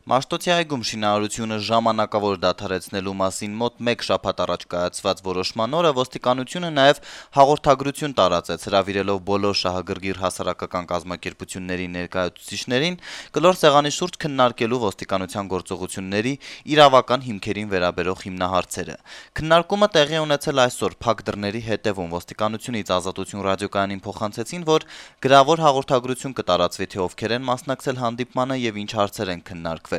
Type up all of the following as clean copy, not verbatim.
Մաշտոցի այգում շինարարությունը ժամանակավոր դադարեցնելու մասին մոտ 1 շաբաթ առաջ կայացված որոշման օրը ոստիկանությունը նաև հաղորդագրություն տարածեց, հրավիրելով բոլոր շահագրգիռ հասարակական կազմակերպությունների ներկայացուցիչներին կլոր սեղանի շուրջ քննարկելու ոստիկանության գործողությունների իրավական հիմքերին վերաբերող հիմնահարցերը։ Քննարկումը տեղի ունեցել այսօր փակ դռների հետևում ոստիկանությունից Ազատություն ռադիոկայանին փոխանցեցին, որ գրավոր հաղորդագրություն կտարածվի, թե ովքեր են մասնակցել հանդիպմանը եւ ինչ հարցեր են քննարկվել։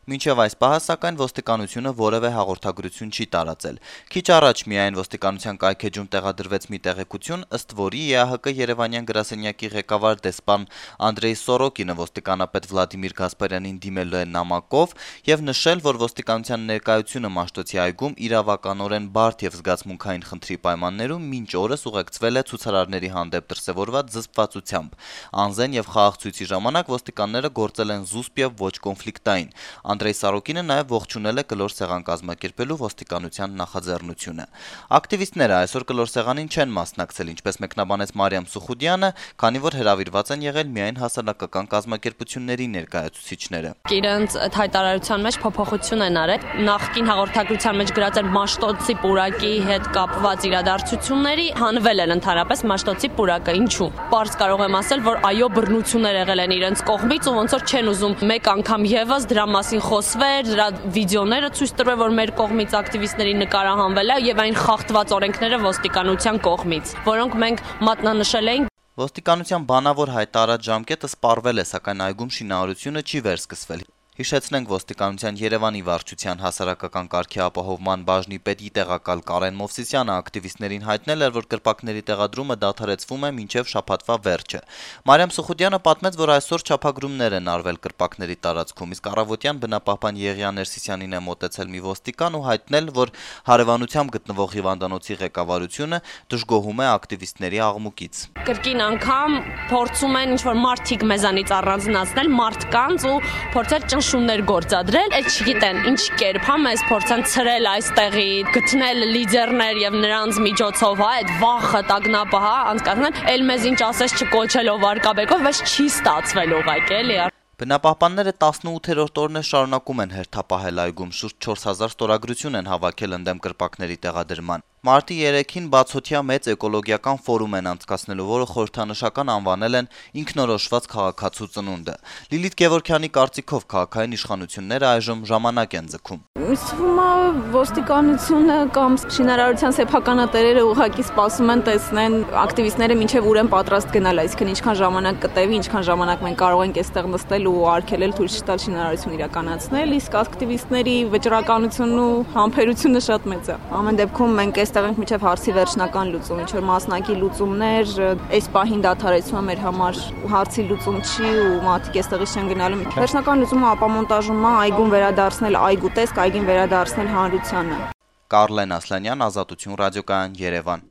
Մինչև այս պահը, սակայն, ոստիկանությունը որևէ հաղորդագրություն չի տարածել։ Քիչ առաջ միայն ոստիկանության կայքեջում տեղադրվեց մի տեղեկություն, ըստ որի ԵԱՀԿ Երևանյան գրասենյակի ղեկավար դեսպան Անդրեյ Սորոկինը ոստիկանապետ Վլադիմիր Գասպարյանին դիմել է նամակով եւ նշել, որ ոստիկանության ներկայությունը Մաշտոցի այգում իրավականորեն բարդ եւ զգացմունքային խնդրի պայմաններում մինչ օրս ուղեկցվել է ցուցարարների հանդեպ դրսեւորված զսպվածությամբ։ Անզեն եւ խաղաղ ցույցի ժամանակ ոստիկանները գործել են զուսպ եւ ոչ կոնֆլիկտային։ Անդրեյ Սարոկինը նաև ողջունել է կլոր սեղան կազմակերպելու ոստիկանության նախաձեռնությունը։ Ակտիվիստները այսօր կլոր սեղանին չեն մասնակցել, ինչպես մեկնաբանեց Մարիամ Սուխուդյանը, քանի որ հրավիրված են եղել միայն հասարակական կազմակերպությունների ներկայացուցիչները։ Իրենց այդ հայտարարության մեջ փոփոխություն են արել։ Նախկին հաղորդագրության մեջ գրած էր Մաշտոցի պուրակի հետ կապված իրադարձությունների, հանվել են ընդհանրապես Մաշտոցի պուրակը։ Ինչու՞։ Պարզ կարող եմ ասել, որ այո, բռնություններ եղել են իրենց կողմից ու ոնց որ չեն ուզում մեկ անգամ եւս դրա մասին խոսվեր, դրա վիդեոները ցույց տրվեր, որ մեր կողմից ակտիվիստների նկարահանվել է եւ այն խախտված օրենքները ոստիկանության կողմից, որոնք մենք մատնանշել էինք։ Ոստիկանության բանավոր հայտարարած ժամկետը սպառվել է, սակայն այգում շինարարությունը չի վերսկսվել։ Հիշեցնենք, ոստիկանության Երևանի վարչության հասարակական կարգի ապահովման բաժնի պետի տեղակալ Կարեն Մովսիսյանը ակտիվիստներին հայտնել էր, որ կրպակների տեղադրումը դադարեցվում է մինչև շաբաթվա վերջը։ Մարիամ Սուխուդյանը պատմեց, որ այսօր չափագրումներ են արվել կրպակների տարածքում, իսկ առավոտյան բնապահպան Եղիան Ներսիսյանին է մոտեցել մի ոստիկան ու հայտնել, որ հարևանությամբ գտնվող հիվանդանոցի ղեկավարությունը դժգոհում է ակտիվիստների աղմուկից։ Կրկին անգամ փորձում են ինչ-որ մարդիկ մեզանից առանձնացնել մարդկանց ու փորձել շումներ գործադրել, այդ չգիտեն ինչ կերպ, հա մեզ փորձեն ցրել այստեղի, գտնել լիդերներ եւ նրանց միջոցով, հա, այդ վախը, տագնապը, հա, անցկացնել, էլ մեզ ինչ ասես չկոչելով արկաբեկով, բայց չի ստացվել ուղղակի, էլի։ Բնապահպանները 18-րդ օրն է շարունակում են հերթապահել այգում, շուրջ 4000 ստորագրություն են հավաքել ընդդեմ կրպակների տեղադրման։ Մարտի 3-ին բացօթյա մեծ էկոլոգիական ֆորում են անցկացնելու, որը խորհրդանշական անվանել են ինքնորոշված քաղաքացու ծնունդը։ Լիլիթ Գևորգյանի կարծիքով քաղաքային իշխանությունները այժմ ժամանակ են ձգում։ Իսկ ոստիկանությունը կամ շինարարության սեփականատերերը ուղղակի սպասում են տեսնեն ակտիվիստները մինչև ուր են պատրաստ գնալ, այսինքն ինչքան ժամանակ կտևի, ինչքան ժամանակ մենք կարող ենք այստեղ նստել ու արգելել թույլ չտալ շինարարություն իրականացնել, իսկ ակտիվիստների վճռականությունն ու համբերությունը շատ մեծ է։ Ամեն դեպքում մենք այստեղ ենք մինչև հարցի վերջնական լուծում, ինչ որ մասնակի լուծումներ, այս պահին դադարեցումը մեր համար հարցի լուծում չի ու մարդիկ այստեղից չեն գնալու։ Վերջնական լուծումը ապամոնտաժում է, այգուն վերադարձնել այգու տեսք, այգին վերադարձնել հանրությանը։ Կարլեն Ասլանյան, Ազատություն ռադիոկայան, Երևան։